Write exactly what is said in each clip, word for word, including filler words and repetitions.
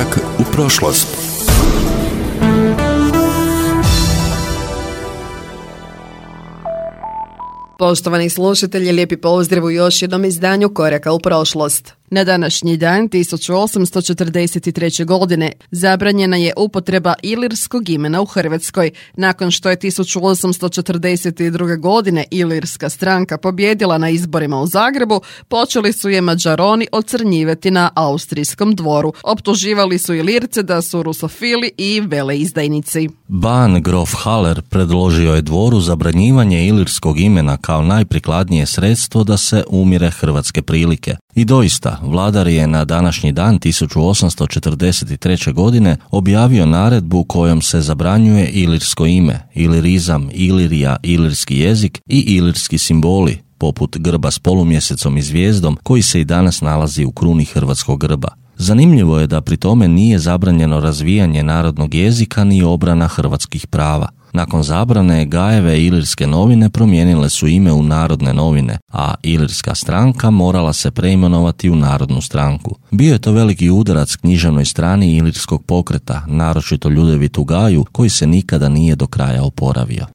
Korak u prošlost. Poštovani slušatelji, lijepi pozdrav u još jednom izdanju Koraka u prošlost. Na današnji dan tisuću osamsto četrdeset treće. godine zabranjena je upotreba ilirskog imena u Hrvatskoj. Nakon što je tisuću osamsto četrdeset druge. godine Ilirska stranka pobjedila na izborima u Zagrebu, počeli su je Mađaroni ocrnjivati na austrijskom dvoru. Optuživali su Ilirce da su rusofili i veleizdajnici. Ban grof Haller predložio je dvoru zabranjivanje ilirskog imena kao najprikladnije sredstvo da se umire hrvatske prilike. I doista, vladar je na današnji dan tisuću osamsto četrdeset treće. godine objavio naredbu kojom se zabranjuje ilirsko ime, ilirizam, Ilirija, ilirski jezik i ilirski simboli, poput grba s polumjesecom i zvijezdom koji se i danas nalazi u kruni hrvatskog grba. Zanimljivo je da pri tome nije zabranjeno razvijanje narodnog jezika ni obrana hrvatskih prava. Nakon zabrane, Gajeve ilirske novine promijenile su ime u Narodne novine, a Ilirska stranka morala se preimenovati u Narodnu stranku. Bio je to veliki udarac književnoj strani ilirskog pokreta, naročito Ljudevitu Gaju, koji se nikada nije do kraja oporavio.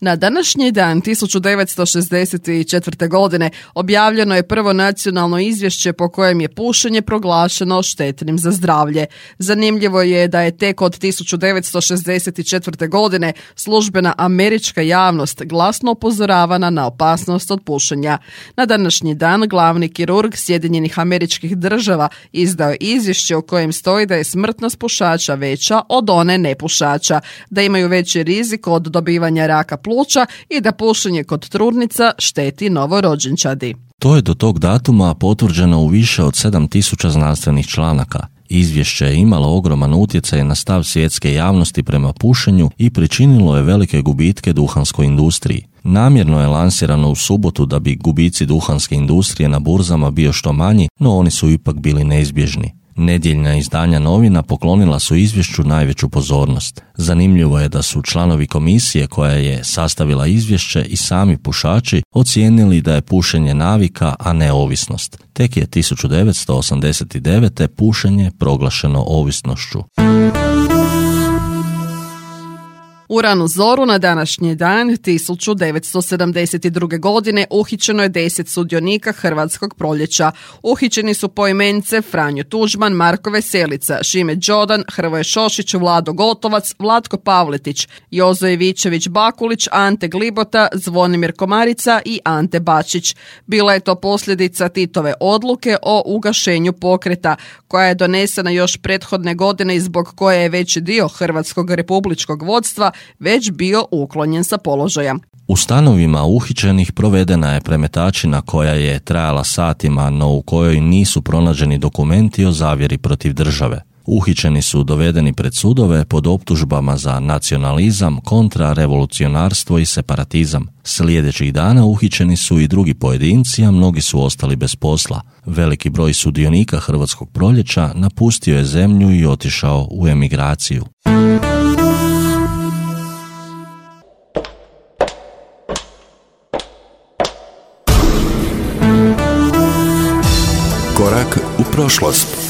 Na današnji dan tisuću devetsto šezdeset četvrte. godine objavljeno je prvo nacionalno izvješće po kojem je pušenje proglašeno štetnim za zdravlje. Zanimljivo je da je tek od tisuću devetsto šezdeset četvrte. godine službena američka javnost glasno upozoravana na opasnost od pušenja. Na današnji dan glavni kirurg Sjedinjenih Američkih Država izdao je izvješće u kojem stoji da je smrtnost pušača veća od one nepušača, da imaju veći rizik od dobivanja raka pluća i da pušenje kod trudnica šteti novorođenčadi. To je do tog datuma potvrđeno u više od sedam tisuća znanstvenih članaka. Izvješće je imalo ogroman utjecaj na stav svjetske javnosti prema pušenju i pričinilo je velike gubitke duhanskoj industriji. Namjerno je lansirano u subotu da bi gubici duhanske industrije na burzama bio što manji, no oni su ipak bili neizbježni. Nedjeljna izdanja novina poklonila su izvješću najveću pozornost. Zanimljivo je da su članovi komisije koja je sastavila izvješće i sami pušači ocijenili da je pušenje navika, a ne ovisnost. Tek je tisuću devetsto osamdeset devete. pušenje proglašeno ovisnošću. U ranu zoru na današnji dan tisuću devetsto sedamdeset druge. godine uhićeno je deset sudionika Hrvatskog proljeća. Uhićeni su poimence Franjo Tuđman, Marko Veselica, Šime Đodan, Hrvoje Šošić, Vlado Gotovac, Vlatko Pavletić, Jozo Ivičević Bakulić, Ante Glibota, Zvonimir Komarica i Ante Bačić. Bila je to posljedica Titove odluke o ugašenju pokreta, koja je donesena još prethodne godine i zbog koje je veći dio Hrvatskog republičkog vodstva već bio uklonjen sa položaja. U stanovima uhićenih provedena je premetačina koja je trajala satima, no u kojoj nisu pronađeni dokumenti o zavjeri protiv države. Uhićeni su dovedeni pred sudove pod optužbama za nacionalizam, kontrarevolucionarstvo i separatizam. Sljedećih dana uhićeni su i drugi pojedinci, a mnogi su ostali bez posla. Veliki broj sudionika Hrvatskog proljeća napustio je zemlju i otišao u emigraciju. Korak u prošlost.